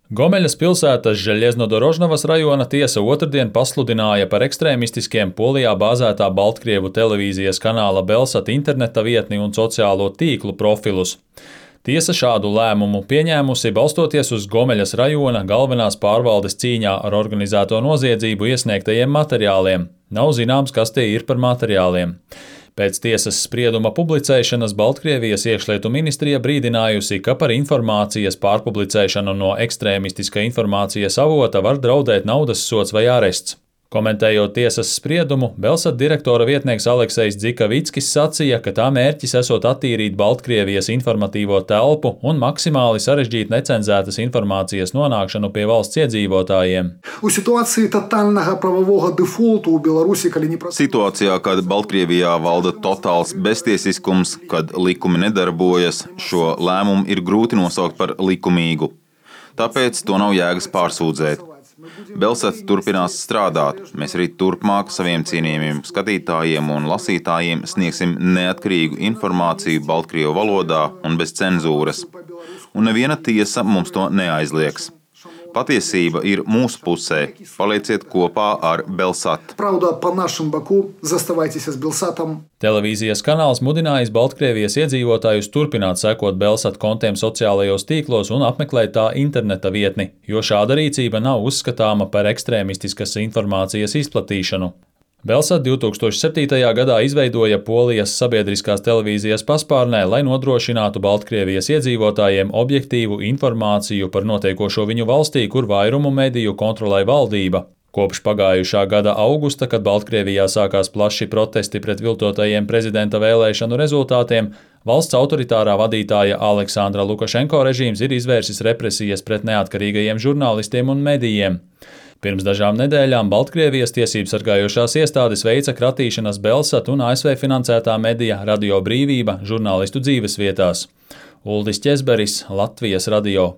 Gomeļas pilsētas Žeļeznodorožnavas rajona tiesa otrdien pasludināja par ekstrēmistiskiem Polijā bāzētā Baltkrievu televīzijas kanāla Belsat interneta vietni un sociālo tīklu profilus. Tiesa šādu lēmumu pieņēmusi balstoties uz Gomeļas rajona galvenās pārvaldes cīņā ar organizēto noziedzību iesniegtajiem materiāliem. Nav zināms, kas tie ir par materiāliem. Pēc tiesas sprieduma publicēšanas Baltkrievijas iekšlietu ministrija brīdinājusi, ka par informācijas pārpublicēšanu no ekstrēmistiska informācijas avota var draudēt naudas sods vai arests. Komentējot tiesas spriedumu, Belsat direktora vietnieks Aleksejs Dzikavickis sacīja, ka tā mērķis esot attīrīt Baltkrievijas informatīvo telpu un maksimāli sarežģīt necenzētas informācijas nonākšanu pie valsts iedzīvotājiem. Situācijā, kad Baltkrievijā valda totāls beztiesiskums, kad likumi nedarbojas, šo lēmumu ir grūti nosaukt par likumīgu. Tāpēc to nav jēgas pārsūdzēt. Belsat turpinās strādāt. Mēs arī turpmāk saviem cienījamiem skatītājiem un lasītājiem sniegsim neatkarīgu informāciju Baltkrievu valodā un bez cenzūras. Un neviena tiesa mums to neaizliegs. Patiesība ir mūsu pusē. Palieciet kopā ar Belsat. Televīzijas kanāls mudinājis Baltkrievijas iedzīvotājus turpināt sekot Belsat kontiem sociālajos tīklos un apmeklēt tā interneta vietni, jo šāda rīcība nav uzskatāma par ekstrēmistiskas informācijas izplatīšanu. Belsat 2007. gadā izveidoja Polijas sabiedriskās televīzijas paspārnē, lai nodrošinātu Baltkrievijas iedzīvotājiem objektīvu informāciju par notiekošo viņu valstī, kur vairumu mediju kontrolē valdība. Kopš pagājušā gada augusta, kad Baltkrievijā sākās plaši protesti pret viltotajiem prezidenta vēlēšanu rezultātiem, valsts autoritārā vadītāja Aleksandra Lukašenko režīms ir izvērsis represijas pret neatkarīgajiem žurnālistiem un medijiem. Pirms dažām nedēļām Baltkrievijas tiesību sargājošās iestādes veica kratīšanas Belsat un ASV finansētā medija Radio Brīvība žurnālistu dzīvesvietās. Uldis Ķezberis, Latvijas radio.